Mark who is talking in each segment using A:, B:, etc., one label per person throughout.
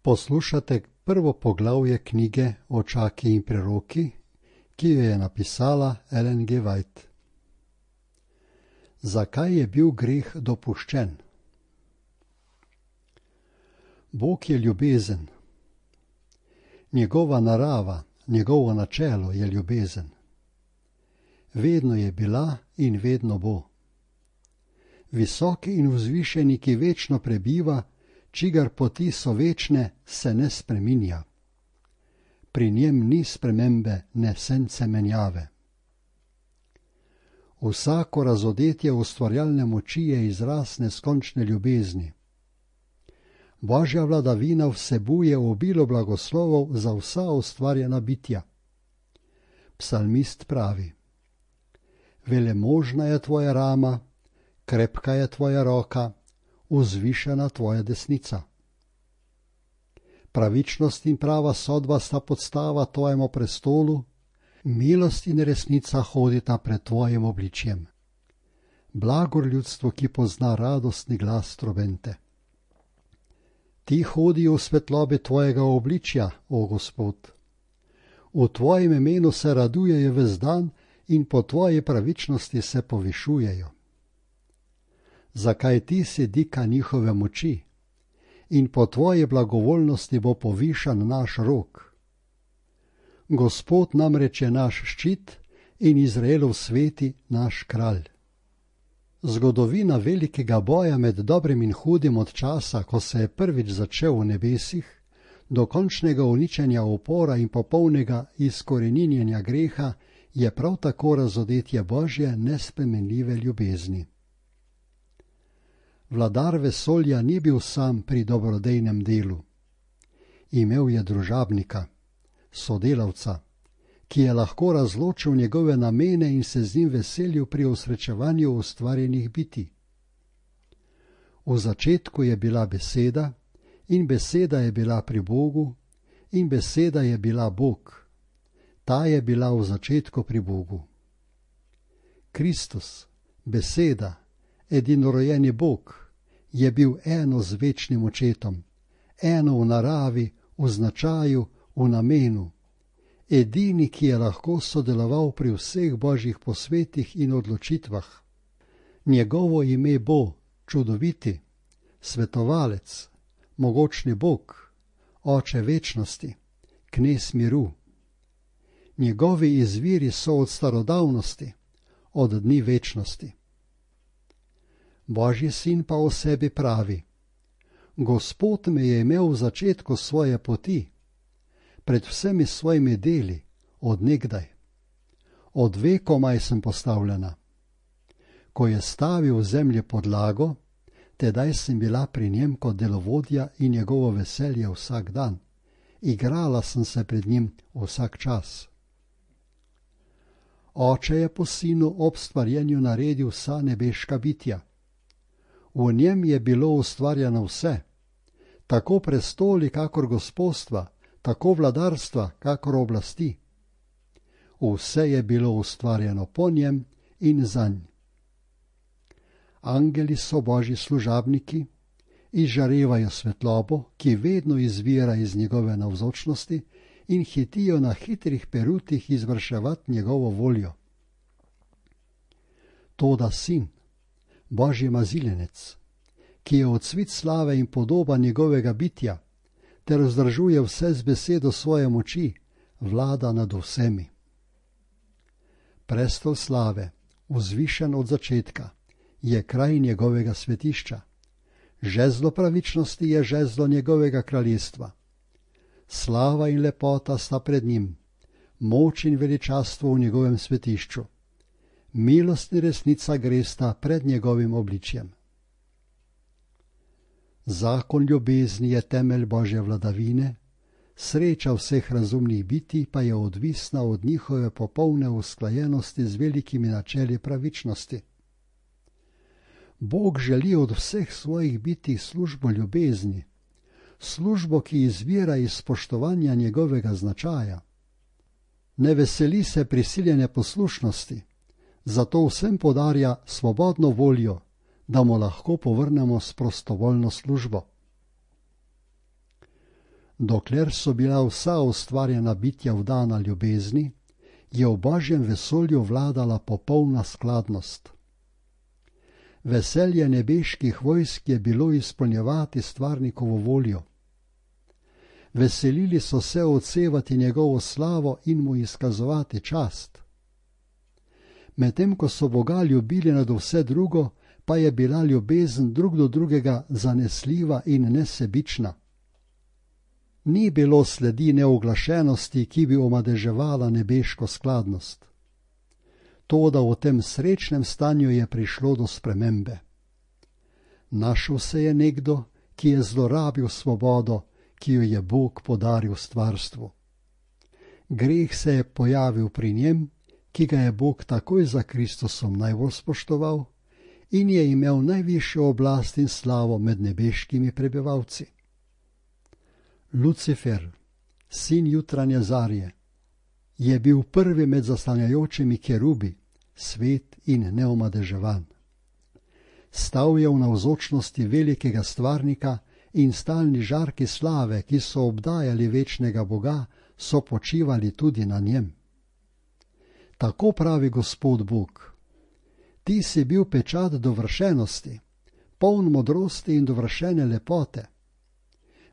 A: Poslušate prvo poglavje knjige Očaki in preroki, ki jo je napisala Ellen G. White. Zakaj je bil greh dopuščen? Bog je ljubezen. Njegova narava, njegovo načelo je ljubezen. Vedno je bila in vedno bo. Visoki in vzvišeni, ki večno prebiva, čigar poti so večne, se ne spreminja. Pri njem ni spremembe, ne sence menjave. Vsako razodetje ustvarjalne moči je izraz neskončne ljubezni. Božja vladavina vsebuje obilo blagoslovov za vsa ustvarjena bitja. Psalmist pravi: Velemožna je tvoja rama, krepka je tvoja roka, vzvišena tvoja desnica. Pravičnost in prava sodba sta podstava tvojemu prestolu, milost in resnica hodita pred tvojim obličjem. Blagor ljudstvo, ki pozna radostni glas trobente. Ti hodijo v svetlobi tvojega obličja, o Gospod. V tvojem imenu se radujejo ves dan in po tvoji pravičnosti se povišujejo. Zakaj ti si dika njihove moči in po tvoji blagovoljnosti bo povišan naš rok. Gospod namreč je naš ščit in Izraelov sveti naš kralj. Zgodovina velikega boja med dobrim in hudim od časa, ko se je prvič začel v nebesih, do končnega uničenja upora in popolnega izkoreninjenja greha, je prav tako razodetje Božje nespremenljive ljubezni. Vladar vesolja ni bil sam pri dobrodejnem delu. Imel je družabnika, sodelavca, ki je lahko razločil njegove namene in se z njim veselil pri osrečevanju ustvarjenih bitij. V začetku je bila beseda in beseda je bila pri Bogu in beseda je bila Bog. Ta je bila v začetku pri Bogu. Kristus, beseda, edinorojeni Bog, je bil eno z večnim očetom, eno v naravi, v značaju, v namenu, edini, ki je lahko sodeloval pri vseh božjih posvetih in odločitvah. Njegovo ime bo čudoviti, svetovalec, mogočni Bog, oče večnosti, knez miru. Njegovi izviri so od starodavnosti, od dni večnosti. Božji sin pa o sebi pravi: Gospod me je imel v začetku svoje poti, pred vsemi svojimi deli, od nekdaj. Od vekomaj sem postavljena. Ko je stavil v zemlji podlago, tedaj sem bila pri njem kot delovodja in njegovo veselje vsak dan. Igrala sem se pred njim vsak čas. Oče je po sinu ob stvarjenju naredil vsa nebeška bitja. V njem je bilo ustvarjeno vse, tako prestoli kakor gospodstva, tako vladarstva kakor oblasti. Vse je bilo ustvarjeno po njem in zanj. Angeli so božji služabniki, izžarevajo svetlobo, ki vedno izvira iz njegove navzočnosti, in hitijo na hitrih perutih izvrševati njegovo voljo. Toda sin, božji maziljenec, ki je odsvit slave in podoba njegovega bitja, ter vzdržuje vse z besedo svoje moči, vlada nad vsemi. Prestol slave, vzvišen od začetka, je kraj njegovega svetišča. Žezlo pravičnosti je žezlo njegovega kraljestva. Slava in lepota sta pred njim, moč in veličastvo v njegovem svetišču. Milost in resnica gresta pred njegovim obličjem. Zakon ljubezni je temelj Božje vladavine, sreča vseh razumnih bitij pa je odvisna od njihove popolne usklajenosti z velikimi načeli pravičnosti. Bog želi od vseh svojih bitij službo ljubezni, službo, ki izvira iz spoštovanja njegovega značaja. Ne veseli se prisiljene poslušnosti, zato vsem podarja svobodno voljo, da mu lahko povrnemo s prostovoljno službo. Dokler so bila vsa ustvarjena bitja vdana ljubezni, je v Božjem vesolju vladala popolna skladnost. Veselje nebeških vojsk je bilo izpolnjevati stvarnikovo voljo. Veselili so se odsevati njegovo slavo in mu izkazovati čast. Medtem ko so Boga ljubili nad vse drugo, pa je bila ljubezen drug do drugega zanesljiva in nesebična. Ni bilo sledi neuglašenosti, ki bi omadeževala nebeško skladnost. Toda v tem srečnem stanju je prišlo do spremembe. Našel se je nekdo, ki je zlorabil svobodo, ki jo je Bog podaril stvarstvu. Greh se je pojavil pri njem, ki ga je Bog takoj za Kristusom najbolj spoštoval in je imel najvišjo oblast in slavo med nebeškimi prebivalci. Lucifer, sin jutranje zarje, je bil prvi med zaslanjajočimi kerubi, svet in neomadeževan. Stal je v navzočnosti velikega stvarnika in stalni žarki slave, ki so obdajali večnega Boga, so počivali tudi na njem. Tako pravi Gospod Bog: ti si bil pečat dovršenosti, poln modrosti in dovršene lepote.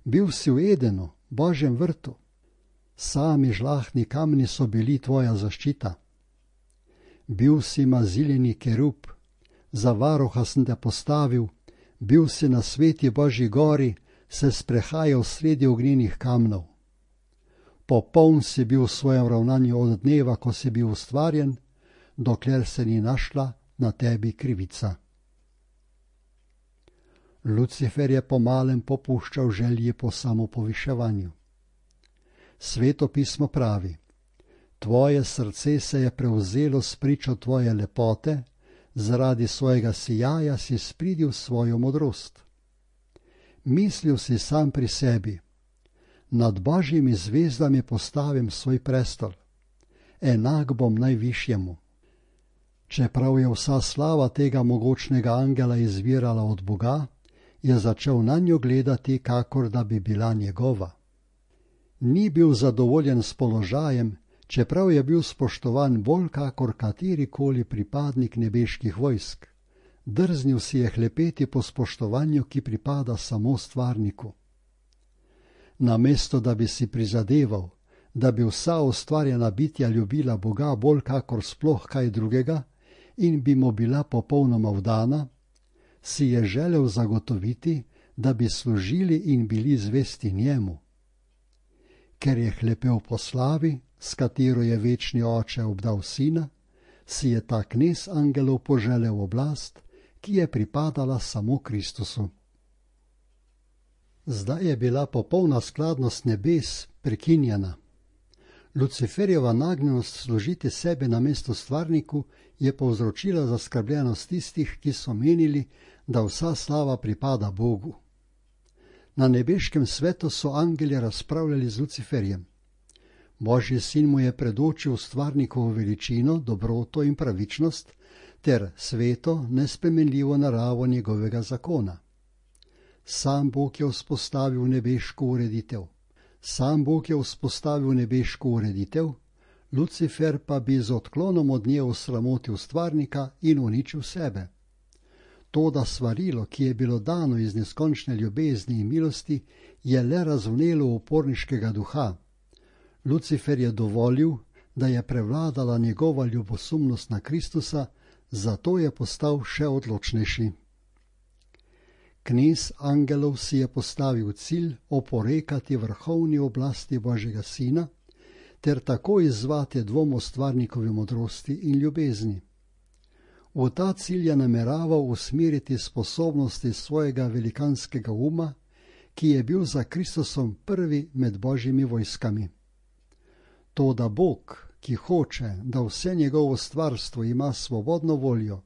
A: Bil si v Edenu, Božjem vrtu. Sami žlahtni kamni so bili tvoja zaščita. Bil si maziljeni kerub, za varuha sem te postavil, bil si na sveti Božji gori, se sprehajal sredi ognjenih kamnov. Popoln si bil v svojem ravnanju od dneva, ko si bil ustvarjen, dokler se ni našla na tebi krivica. Lucifer je pomalem popuščal želji po samopoviševanju. Sveto pismo pravi: tvoje srce se je prevzelo s pričo tvoje lepote, zaradi svojega sijaja si spridil svojo modrost. Mislil si sam pri sebi: nad Božjimi zvezdami postavim svoj prestol, enak bom najvišjemu. Čeprav je vsa slava tega mogočnega angela izvirala od Boga, je začel nanjo gledati, kakor da bi bila njegova. Ni bil zadovoljen s položajem, čeprav je bil spoštovan bolj kakor katerikoli pripadnik nebeških vojsk. Drznil si je hlepeti po spoštovanju, ki pripada samo stvarniku. Namesto da bi si prizadeval, da bi vsa ustvarjena bitja ljubila Boga bolj kakor sploh kaj drugega in bi mu bila popolnoma vdana, si je želel zagotoviti, da bi služili in bili zvesti njemu. Ker je hlepel po slavi, s katero je večni oče obdal sina, si je ta knez angelov poželel oblast, ki je pripadala samo Kristusu. Zdaj je bila popolna skladnost nebes prekinjena. Luciferjeva nagnjenost služiti sebe namesto stvarniku je povzročila zaskrbljenost tistih, ki so menili, da vsa slava pripada Bogu. Na nebeškem svetu so angeli razpravljali z Luciferjem. Božji sin mu je predočil stvarnikovo veličino, dobroto in pravičnost ter sveto, nespremenljivo naravo njegovega zakona. Sam Bog je vzpostavil nebeško ureditev, Lucifer pa bi z odklonom od nje osramotil stvarnika in uničil sebe. Toda svarilo, ki je bilo dano iz neskončne ljubezni in milosti, je le razvnelo uporniškega duha. Lucifer je dovolil, da je prevladala njegova ljubosumnost na Kristusa, zato je postal še odločnejši. Knez angelov si je postavil cilj oporekati vrhovni oblasti Božjega sina ter tako izzvati dvom o stvarnikovi modrosti in ljubezni. V ta cilj je nameraval usmeriti sposobnosti svojega velikanskega uma, ki je bil za Kristusom prvi med Božjimi vojskami. Toda Bog, ki hoče, da vse njegovo stvarstvo ima svobodno voljo,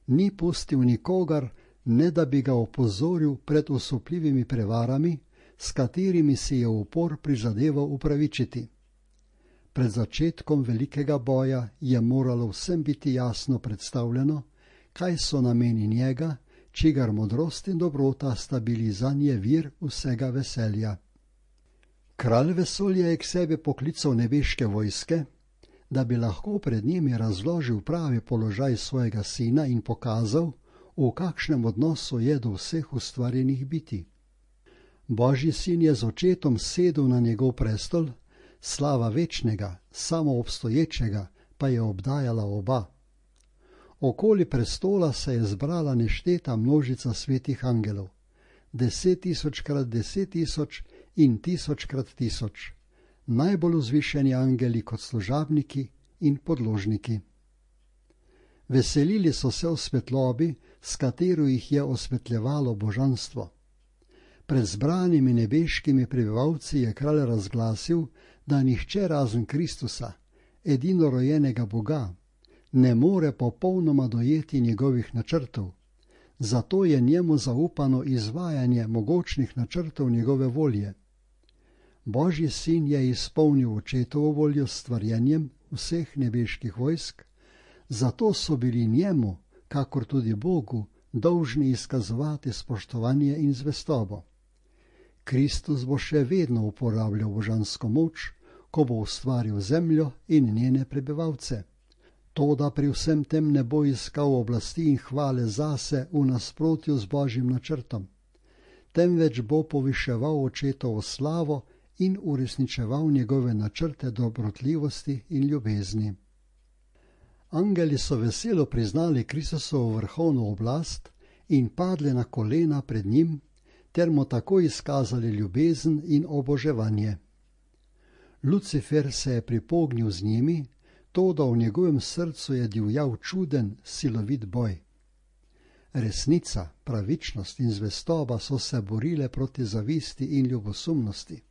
A: ni pustil nikogar, ne da bi ga opozoril pred osupljivimi prevarami, s katerimi si je upor prizadeval upravičiti. Pred začetkom velikega boja je moralo vsem biti jasno predstavljeno, kaj so nameni njega, čigar modrost in dobrota sta bili zanje vir vsega veselja. Kralj vesolja je k sebi poklical nebeške vojske, da bi lahko pred njimi razložil pravi položaj svojega sina in pokazal, v kakšnem odnosu je do vseh ustvarjenih bitij. Božji sin je z očetom sedel na njegov prestol, slava večnega, samoobstoječega pa je obdajala oba. Okoli prestola se je zbrala nešteta množica svetih angelov, 10.000x10.000 in 1000x1000, najbolj vzvišeni angeli kot služabniki in podložniki. Veselili so se v svetlobi, s katero jih je osvetljevalo božanstvo. Pred zbranimi nebeškimi prebivalci je kralj razglasil, da nihče razen Kristusa, edinorojenega Boga, ne more popolnoma dojeti njegovih načrtov, zato je njemu zaupano izvajanje mogočnih načrtov njegove volje. Božji sin je izpolnil očetovo voljo s stvarjenjem vseh nebeških vojsk, zato so bili njemu, kakor tudi Bogu, dolžni izkazovati spoštovanje in zvestobo. Kristus bo še vedno uporabljal božansko moč, ko bo ustvaril zemljo in njene prebivalce. Toda pri vsem tem ne bo iskal oblasti in hvale zase v nasprotju z Božjim načrtom, temveč bo poviševal očetovo slavo in uresničeval njegove načrte dobrotljivosti in ljubezni. Angeli so veselo priznali Kristusovo vrhovno oblast in padli na kolena pred njim, ter mu tako izkazali ljubezen in oboževanje. Lucifer se je pripognil z njimi, toda v njegovem srcu je divjal čuden, silovit boj. Resnica, pravičnost in zvestoba so se borile proti zavisti in ljubosumnosti.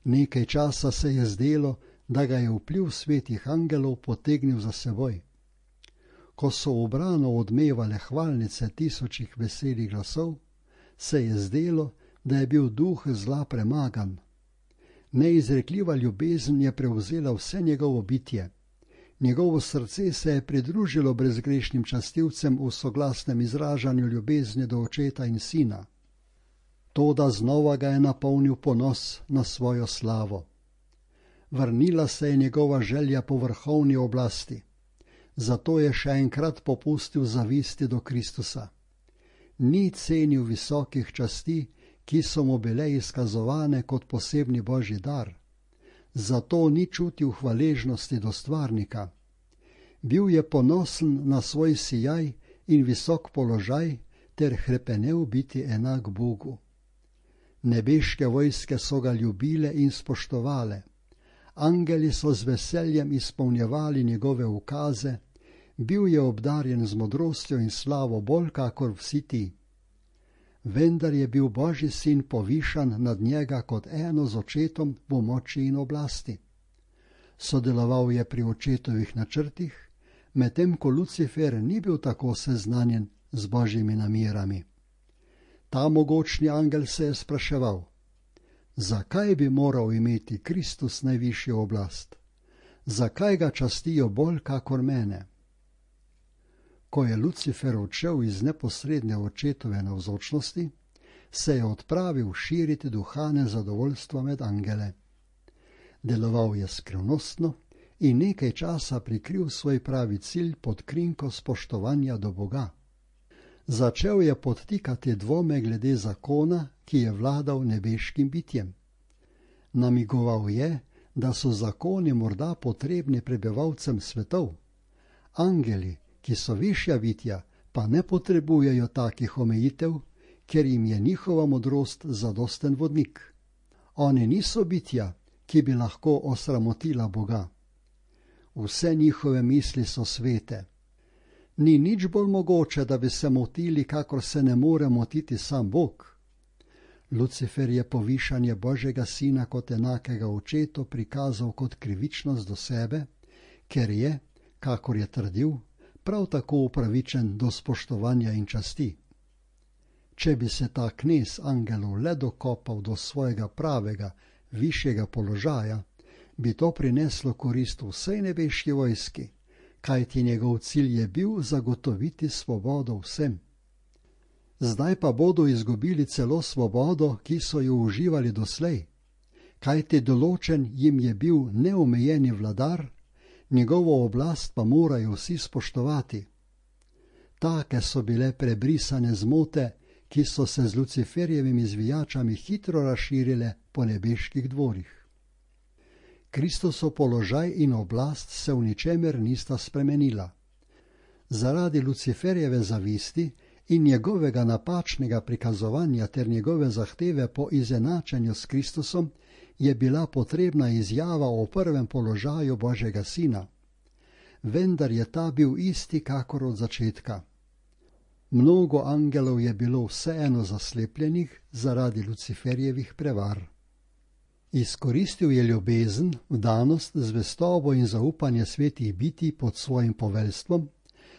A: Nekaj časa se je zdelo, da ga je vpliv svetih angelov potegnil za seboj. Ko so ubrano odmevale hvalnice tisočih veselih glasov, se je zdelo, da je bil duh zla premagan. Neizrekljiva ljubezen je prevzela vse njegovo bitje. Njegovo srce se je pridružilo brezgrešnim častilcem v soglasnem izražanju ljubezni do očeta in sina. Toda znova ga je napolnil ponos na svojo slavo. Vrnila se je njegova želja po vrhovni oblasti, zato je še enkrat popustil zavisti do Kristusa. Ni cenil visokih časti, ki so mu bile izkazovane kot posebni božji dar, zato ni čutil hvaležnosti do stvarnika. Bil je ponosen na svoj sijaj in visok položaj ter hrepenel biti enak Bogu. Nebeške vojske so ga ljubile in spoštovale. Angeli so z veseljem izpolnjevali njegove ukaze, bil je obdarjen z modrostjo in slavo bolj kakor vsi ti. Vendar je bil Božji sin povišan nad njega kot eno z očetom v moči in oblasti. Sodeloval je pri očetovih načrtih, medtem ko Lucifer ni bil tako seznanjen z Božjimi namerami. Ta mogočni angel se je spraševal, zakaj bi moral imeti Kristus najvišjo oblast? Zakaj ga častijo bolj kakor mene? Ko je Lucifer odšel iz neposredne očetove navzočnosti, se je odpravil širiti duhane zadovoljstva med angele. Deloval je skrivnostno in nekaj časa prikril svoj pravi cilj pod krinko spoštovanja do Boga. Začel je podtikati dvome glede zakona, ki je vladal nebeškim bitjem. Namigoval je, da so zakoni morda potrebni prebivalcem svetov. Angeli, ki so višja bitja, pa ne potrebujejo takih omejitev, ker jim je njihova modrost zadosten vodnik. Oni niso bitja, ki bi lahko osramotila Boga. Vse njihove misli so svete. Ni nič bolj mogoče, da bi se motili, kakor se ne more motiti sam Bog. Lucifer je povišanje Božjega sina kot enakega očetu prikazal kot krivičnost do sebe, ker je, kakor je trdil, prav tako upravičen do spoštovanja in časti. Če bi se ta knez angelov le dokopal do svojega pravega, višjega položaja, bi to prineslo korist vsej nebeški vojski, kajti njegov cilj je bil zagotoviti svobodo vsem. Zdaj pa bodo izgubili celo svobodo, ki so jo uživali doslej, kajti določen jim je bil neomejeni vladar, njegovo oblast pa morajo vsi spoštovati. Take so bile prebrisane zmote, ki so se z Luciferjevimi zvijačami hitro razširile po nebeških dvorih. Kristusov položaj in oblast se v ničemer nista spremenila. Zaradi Luciferjeve zavisti in njegovega napačnega prikazovanja ter njegove zahteve po izenačenju s Kristusom je bila potrebna izjava o prvem položaju Božjega Sina. Vendar je ta bil isti kakor od začetka. Mnogo angelov je bilo vseeno zaslepljenih zaradi Luciferjevih prevar. Izkoristil je ljubezen, vdanost, zvestobo in zaupanje svetih bitij pod svojim poveljstvom,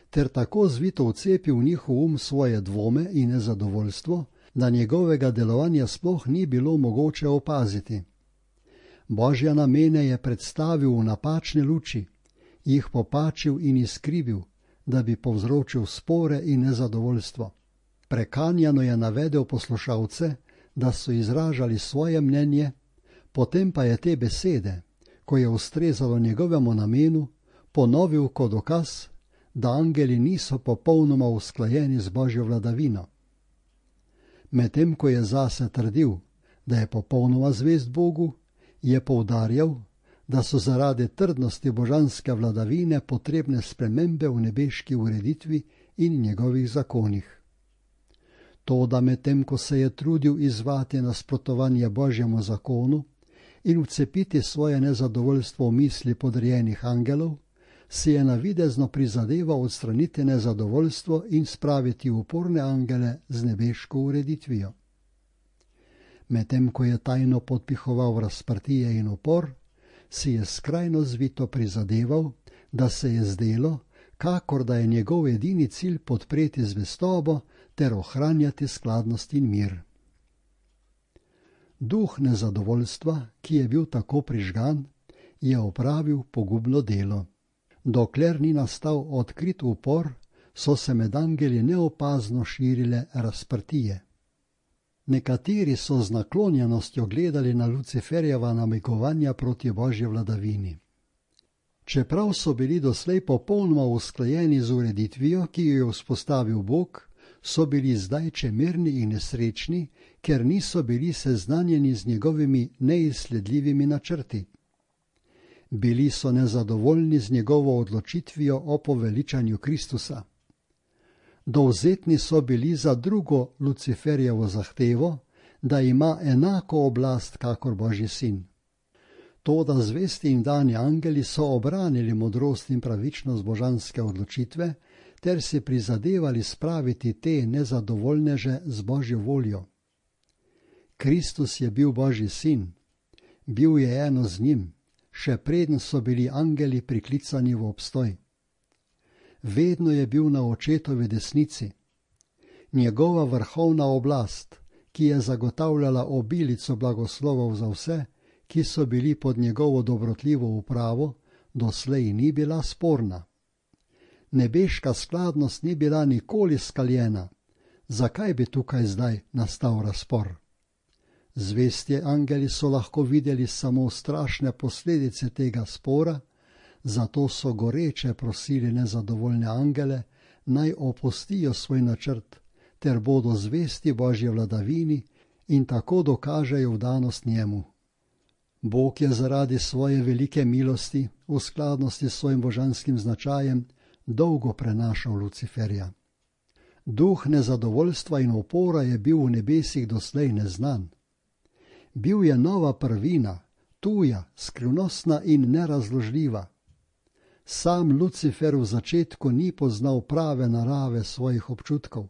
A: ter tako zvito vcepil v njihov svoje dvome in nezadovoljstvo, da njegovega delovanja sploh ni bilo mogoče opaziti. Božja namene je predstavil v napačne luči, jih popačil in izkrivil, da bi povzročil spore in nezadovoljstvo. Prekanjano je navedel poslušalce, da so izražali svoje mnenje, potem pa je te besede, ko je ustrezalo njegovemu namenu, ponovil kot dokaz, da angeli niso popolnoma usklajeni z Božjo vladavino. Medtem ko je zase trdil, da je popolnoma zvest Bogu, je poudarjal, da so zaradi trdnosti božanske vladavine potrebne spremembe v nebeški ureditvi in njegovih zakonih. Toda medtem ko se je trudil izzvati nasprotovanje Božjemu zakonu in vcepiti svoje nezadovoljstvo v misli podrejenih angelov, si je navidezno prizadeval odstraniti nezadovoljstvo in spraviti uporne angele z nebeško ureditvijo. Medtem ko je tajno podpihoval razprtije in upor, si je skrajno zvito prizadeval, da se je zdelo, kakor da je njegov edini cilj podpreti zvestobo ter ohranjati skladnost in mir. Duh nezadovoljstva, ki je bil tako prižgan, je opravil pogubno delo. Dokler ni nastal odkrit upor, so se med angeli neopazno širile razprtije. Nekateri so z naklonjenostjo gledali na Luciferjeva namigovanja proti Božji vladavini. Čeprav so bili doslej popolnoma usklajeni z ureditvijo, ki jo je vzpostavil Bog, so bili zdaj čemerni in nesrečni, ker niso bili seznanjeni z njegovimi neizsledljivimi načrti. Bili so nezadovoljni z njegovo odločitvijo o poveličanju Kristusa. Dovzetni so bili za drugo Luciferjevo zahtevo, da ima enako oblast kakor Božji sin. Toda zvesti in dani angeli so obranili modrost in pravičnost božanske odločitve ter si prizadevali spraviti te nezadovoljneže z Božjo voljo. Kristus je bil Božji sin, bil je eno z njim, še preden so bili angeli priklicani v obstoj. Vedno je bil na očetovi desnici. Njegova vrhovna oblast, ki je zagotavljala obilico blagoslovov za vse, ki so bili pod njegovo dobrotljivo upravo, doslej ni bila sporna. Nebeška skladnost ni bila nikoli skaljena. Zakaj bi tukaj zdaj nastal razpor? Zvesti angeli so lahko videli samo strašne posledice tega spora, zato so goreče prosili nezadovoljne angele, naj opustijo svoj načrt, ter bodo zvesti Božji vladavini in tako dokažejo vdanost njemu. Bog je zaradi svoje velike milosti, v skladnosti s svojim božanskim značajem, dolgo prenašal Luciferja. Duh nezadovoljstva in upora je bil v nebesih doslej neznan. Bil je nova prvina, tuja, skrivnostna in nerazložljiva. Sam Lucifer v začetku ni poznal prave narave svojih občutkov.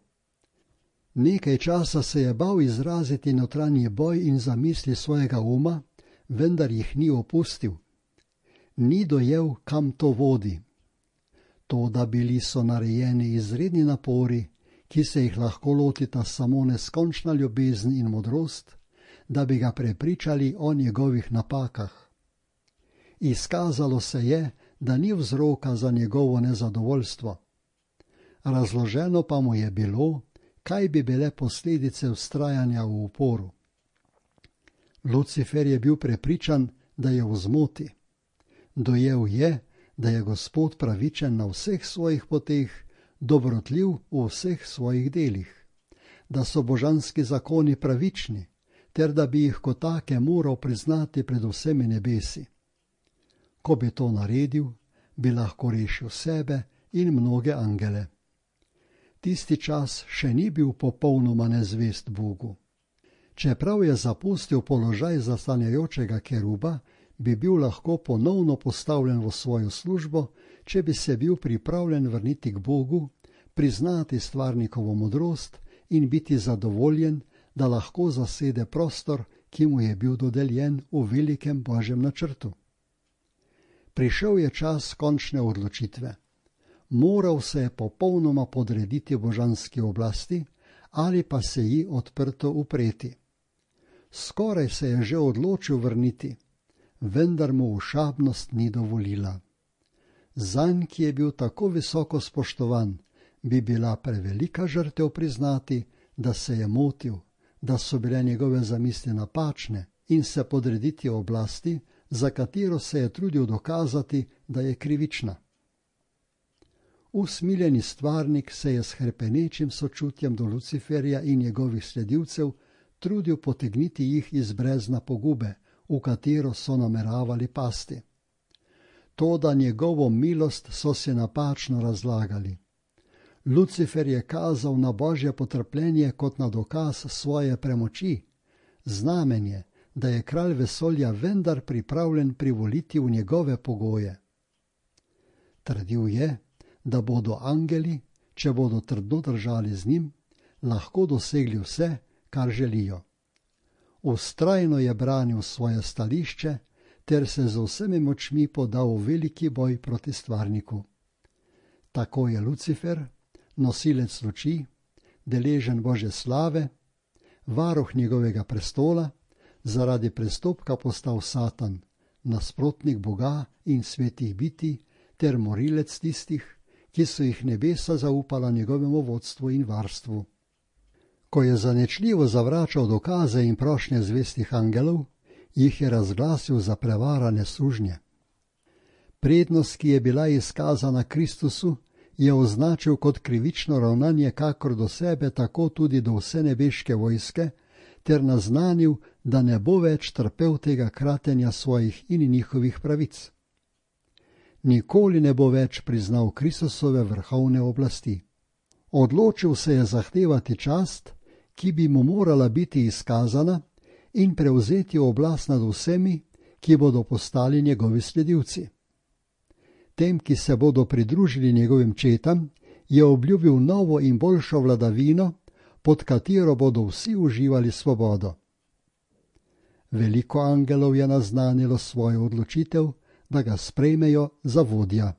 A: Nekaj časa se je bal izraziti notranji boj in zamisli svojega uma, vendar jih ni opustil. Ni dojel, kam to vodi. Toda bili so narejeni izredni napori, ki se jih lahko lotita samo neskončna ljubezen in modrost, da bi ga prepričali o njegovih napakah. Izkazalo se je, da ni vzroka za njegovo nezadovoljstvo. Razloženo pa mu je bilo, kaj bi bile posledice vztrajanja v uporu. Lucifer je bil prepričan, da je v zmoti. Dojel je, da je Gospod pravičen na vseh svojih poteh, dobrotljiv v vseh svojih delih, da so božanski zakoni pravični, ter da bi jih kot take moral priznati pred vsemi nebesi. Ko bi to naredil, bi lahko rešil sebe in mnoge angele. Tisti čas še ni bil popolnoma nezvest Bogu. Čeprav je zapustil položaj zastanjajočega keruba, bi bil lahko ponovno postavljen v svojo službo, če bi se bil pripravljen vrniti k Bogu, priznati stvarnikovo modrost in biti zadovoljen, da lahko zasede prostor, ki mu je bil dodeljen v velikem Božjem načrtu. Prišel je čas končne odločitve. Moral se je popolnoma podrediti božanski oblasti ali pa se ji odprto upreti. Skoraj se je že odločil vrniti, vendar mu ošabnost ni dovolila. Zanj, ki je bil tako visoko spoštovan, bi bila prevelika žrtev priznati, da se je motil, da so bile njegove zamisli napačne, in se podrediti oblasti, za katero se je trudil dokazati, da je krivična. Usmiljeni stvarnik se je s hrepenečim sočutjem do Luciferja in njegovih sledilcev trudil potegniti jih iz brezna pogube, v katero so nameravali pasti. Toda njegovo milost so si napačno razlagali. Lucifer je kazal na Božje potrpljenje kot na dokaz svoje premoči, znamenje, da je kralj vesolja vendar pripravljen privoliti v njegove pogoje. Trdil je, da bodo angeli, če bodo trdno držali z njim, lahko dosegli vse, kar želijo. Vztrajno je branil svoje stališče ter se z vsemi močmi podal v veliki boj proti stvarniku. Tako je Lucifer, nosilec luči, deležen Božje slave, varuh njegovega prestola, zaradi prestopka postal Satan, nasprotnik Boga in svetih bitij ter morilec tistih, ki so jih nebesa zaupala njegovemu vodstvu in varstvu. Ko je zanečljivo zavračal dokaze in prošnje zvestih angelov, jih je razglasil za prevarane sužnje. Prednost, ki je bila izkazana Kristusu, je označil kot krivično ravnanje kakor do sebe, tako tudi do vse nebeške vojske, ter naznanil, da ne bo več trpel tega kratenja svojih in njihovih pravic. Nikoli ne bo več priznal Kristusove vrhovne oblasti. Odločil se je zahtevati čast, ki bi mu morala biti izkazana, in prevzeti oblast nad vsemi, ki bodo postali njegovi sledilci. Tem, ki se bodo pridružili njegovim četam, je obljubil novo in boljšo vladavino, pod katero bodo vsi uživali svobodo. Veliko angelov je naznanilo svojo odločitev, da ga sprejmejo za vodja.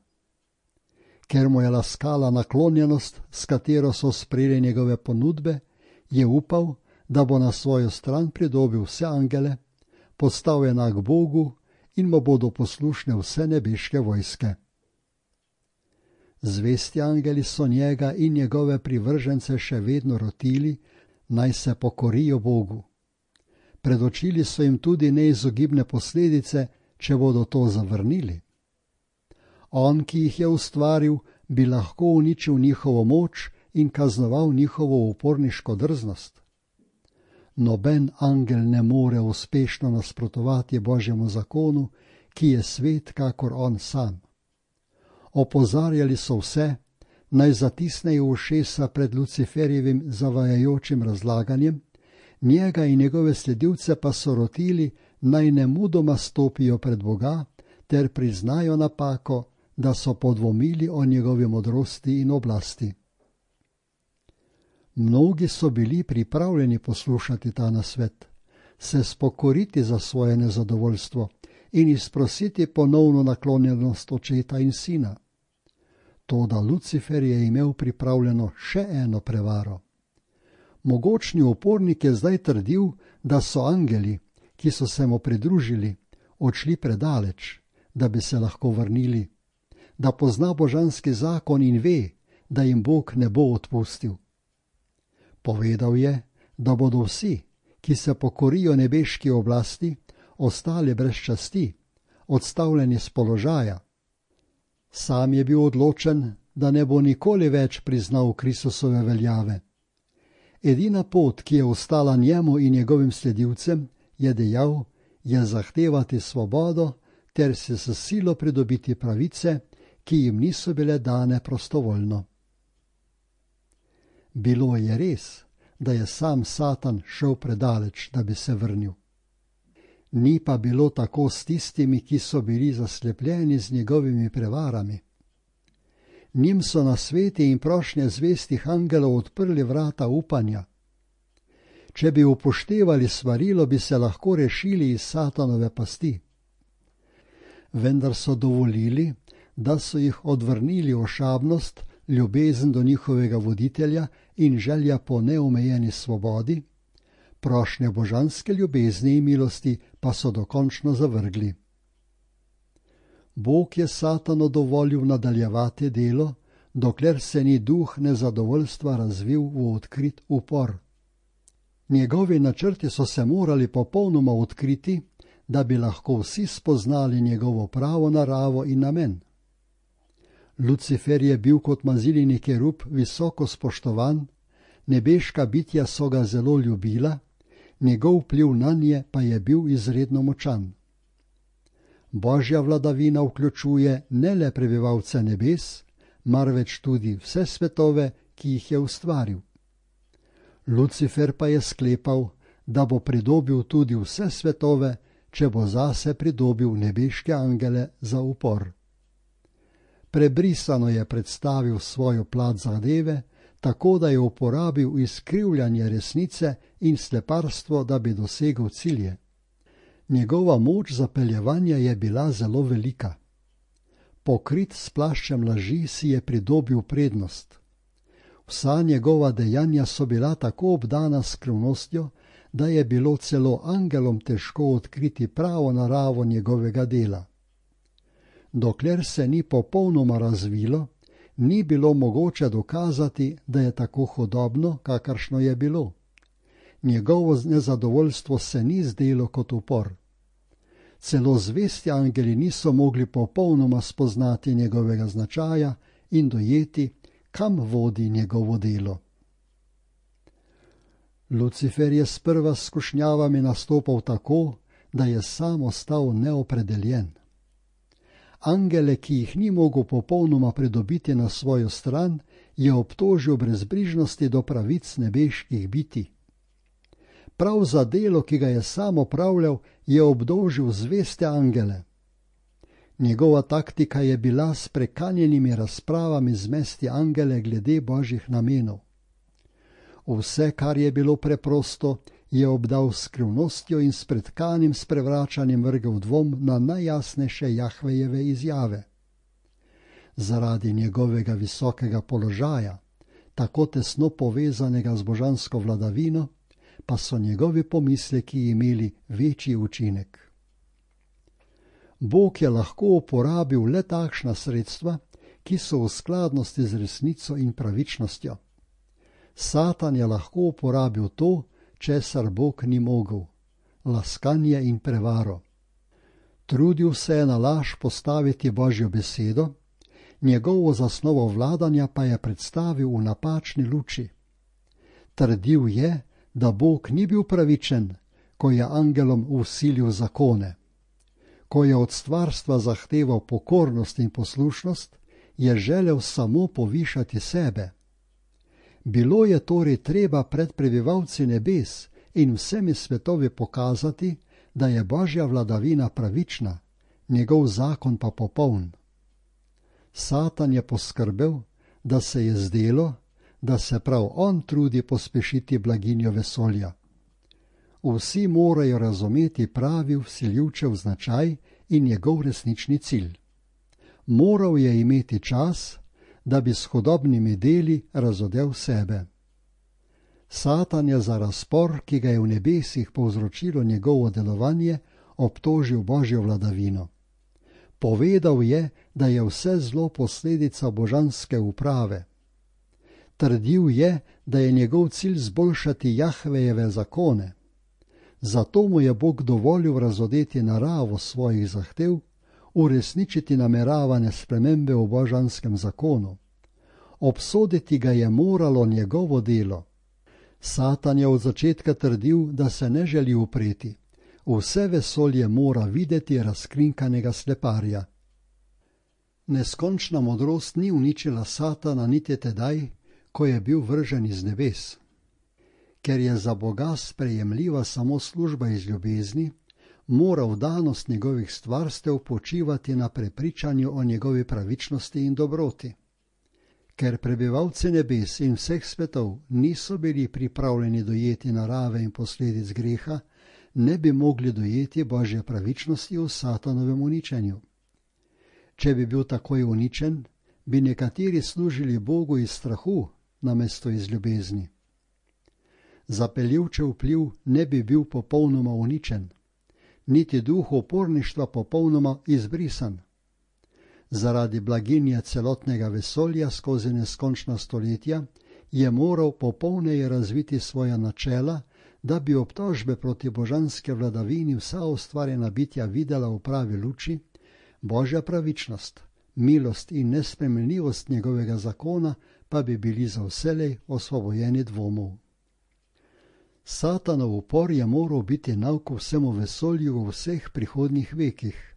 A: Ker mu je laskala naklonjenost, s katero so sprejeli njegove ponudbe, je upal, da bo na svojo stran pridobil vse angele, postal enak Bogu in mu bodo poslušne vse nebeške vojske. Zvesti angeli so njega in njegove privržence še vedno rotili, naj se pokorijo Bogu. Predočili so jim tudi neizogibne posledice, če bodo to zavrnili. On, ki jih je ustvaril, bi lahko uničil njihovo moč in kaznoval njihovo uporniško drznost. Noben angel ne more uspešno nasprotovati Božjemu zakonu, ki je svet kakor on sam. Opozarjali so vse, naj zatisnejo ušesa pred Luciferjevim zavajajočim razlaganjem, njega in njegove sledilce pa so rotili, naj nemudoma stopijo pred Boga ter priznajo napako, da so podvomili o njegovi modrosti in oblasti. Mnogi so bili pripravljeni poslušati ta nasvet, se spokoriti za svoje nezadovoljstvo in izprositi ponovno naklonjenost očeta in sina. Toda Lucifer je imel pripravljeno še eno prevaro. Mogočni upornik je zdaj trdil, da so angeli, ki so se mu pridružili, odšli predaleč, da bi se lahko vrnili, da pozna božanski zakon in ve, da jim Bog ne bo odpustil. Povedal je, da bodo vsi, ki se pokorijo nebeški oblasti, ostali brez časti, odstavljeni z položaja. Sam je bil odločen, da ne bo nikoli več priznal Kristusove veljave. Edina pot, ki je ostala njemu in njegovim sledilcem, je dejal, je zahtevati svobodo ter se s silo pridobiti pravice, ki jim niso bile dane prostovoljno. Bilo je res, da je sam Satan šel predaleč, da bi se vrnil. Ni pa bilo tako s tistimi, ki so bili zaslepljeni z njegovimi prevarami. Njim so nasveti in prošnje zvestih angelov odprli vrata upanja. Če bi upoštevali svarilo, bi se lahko rešili iz Satanove pasti. Vendar so dovolili, da so jih odvrnili ošabnost, ljubezen do njihovega voditelja in želja po neomejeni svobodi, prošnje božanske ljubezni in milosti pa so dokončno zavrgli. Bog je Satanu dovolil nadaljevati delo, dokler se ni duh nezadovoljstva razvil v odkrit upor. Njegovi načrti so se morali popolnoma odkriti, da bi lahko vsi spoznali njegovo pravo naravo in namen. Lucifer je bil kot mazilini kerub visoko spoštovan, nebeška bitja so ga zelo ljubila, njegov vpliv nanje pa je bil izredno močan. Božja vladavina vključuje ne le prebivalce nebes, marveč tudi vse svetove, ki jih je ustvaril. Lucifer pa je sklepal, da bo pridobil tudi vse svetove, če bo zase pridobil nebeške angele za upor. Prebrisano je predstavil svojo plat zadeve, tako da je uporabil izkrivljanje resnice in sleparstvo, da bi dosegel cilje. Njegova moč zapeljevanja je bila zelo velika. Pokrit s plaščem laži si je pridobil prednost. Vsa njegova dejanja so bila tako obdana s skrivnostjo, da je bilo celo angelom težko odkriti pravo naravo njegovega dela. Dokler se ni popolnoma razvilo, ni bilo mogoče dokazati, da je tako hudobno, kakršno je bilo. Njegovo nezadovoljstvo se ni zdelo kot upor. Celo zvesti angeli niso mogli popolnoma spoznati njegovega značaja in dojeti, kam vodi njegovo delo. Lucifer je sprva s skušnjavami nastopal tako, da je sam ostal neopredeljen. Angele, ki jih ni mogel popolnoma pridobiti na svojo stran, je obtožil brezbrižnosti do pravic nebeških bitij. Prav za delo, ki ga je sam opravljal, je obdolžil zveste angele. Njegova taktika je bila s prekanjenimi razpravami zmesti angele glede božjih namenov. Vse, kar je bilo preprosto, je obdal skrivnostjo in s pretkanim sprevračanjem vrgel dvom na najjasnejše Jahvejeve izjave. Zaradi njegovega visokega položaja, tako tesno povezanega z božansko vladavino, pa so njegovi pomisleki imeli večji učinek. Bog je lahko uporabil le takšna sredstva, ki so v skladnosti z resnico in pravičnostjo. Satan je lahko uporabil to, česar Bog ni mogel, laskanje in prevaro. Trudil se je na laž postaviti Božjo besedo, njegovo zasnovo vladanja pa je predstavil v napačni luči. Trdil je, da Bog ni bil pravičen, ko je angelom vsilil zakone. Ko je od stvarstva zahteval pokornost in poslušnost, je želel samo povišati sebe. Bilo je torej treba pred prebivalci nebes in vsemi svetovi pokazati, da je Božja vladavina pravična, njegov zakon pa popoln. Satan je poskrbel, da se je zdelo, da se prav on trudi pospešiti blaginjo vesolja. Vsi morajo razumeti pravi vsiljivčev značaj in njegov resnični cilj. Moral je imeti čas, da bi s hudobnimi deli razodel sebe. Satan je za razpor, ki ga je v nebesih povzročilo njegovo delovanje, obtožil Božjo vladavino. Povedal je, da je vse zlo posledica božanske uprave. Trdil je, da je njegov cilj zboljšati Jahvejeve zakone. Zato mu je Bog dovolil razodeti naravo svojih zahtev, uresničiti nameravane spremembe v božanskem zakonu. Obsoditi ga je moralo njegovo delo. Satan je od začetka trdil, da se ne želi upreti. Vse vesolje mora videti razkrinkanega sleparja. Neskončna modrost ni uničila Satana niti tedaj, ko je bil vržen iz nebes. Ker je za Boga sprejemljiva samo služba iz ljubezni, mora vdanost njegovih stvarstev počivati na prepričanju o njegovi pravičnosti in dobroti. Ker prebivalci nebes in vseh svetov niso bili pripravljeni dojeti narave in posledic greha, ne bi mogli dojeti Božje pravičnosti v Satanovem uničenju. Če bi bil takoj uničen, bi nekateri služili Bogu iz strahu, namesto iz ljubezni. Zapeljivčev vpliv ne bi bil popolnoma uničen, niti duh uporništva popolnoma izbrisan. Zaradi blaginje celotnega vesolja skozi neskončna stoletja je moral popolneje razviti svoja načela, da bi obtožbe proti božanske vladavini vsa ustvarjena bitja videla v pravi luči, Božja pravičnost, milost in nespremenljivost njegovega zakona pa bi bili za vselej osvobojeni dvomov. Satanov upor je moral biti nauk vsemu vesolju v vseh prihodnjih vekih,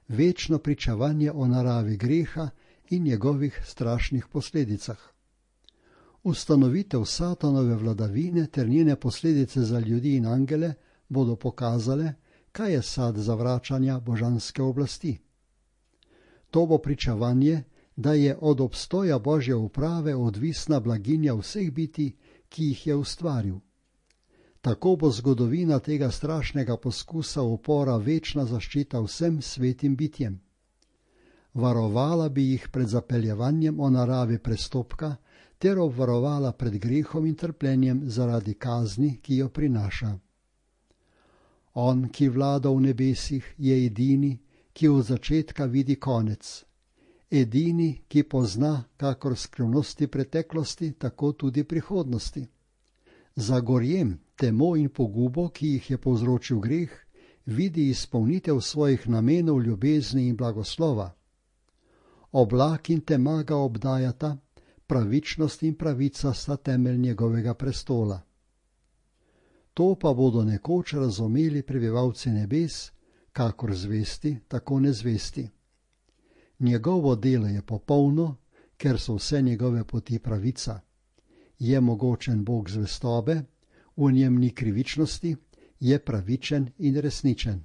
A: večno pričevanje o naravi greha in njegovih strašnih posledicah. Ustanovitev Satanove vladavine ter njene posledice za ljudi in angele bodo pokazale, kaj je sad zavračanja božanske oblasti. To bo pričevanje, da je od obstoja Božje uprave odvisna blaginja vseh bitij, ki jih je ustvaril. Tako bo zgodovina tega strašnega poskusa upora večna zaščita vsem svetim bitjem. Varovala bi jih pred zapeljevanjem o naravi prestopka ter obvarovala pred grehom in trpljenjem zaradi kazni, ki jo prinaša. On, ki vlada v nebesih, je edini, ki od začetka vidi konec. Edini, ki pozna kakor skrivnosti preteklosti, tako tudi prihodnosti. Za gorjem, temo in pogubo, ki jih je povzročil greh, vidi izpolnitev svojih namenov ljubezni in blagoslova. Oblak in tema ga obdajata, pravičnost in pravica sta temelj njegovega prestola. To pa bodo nekoč razumeli prebivalci nebes, kakor zvesti, tako nezvesti. Njegovo delo je popolno, ker so vse njegove poti pravica. Je mogočen Bog zvestobe, v njem ni krivičnosti, je pravičen in resničen.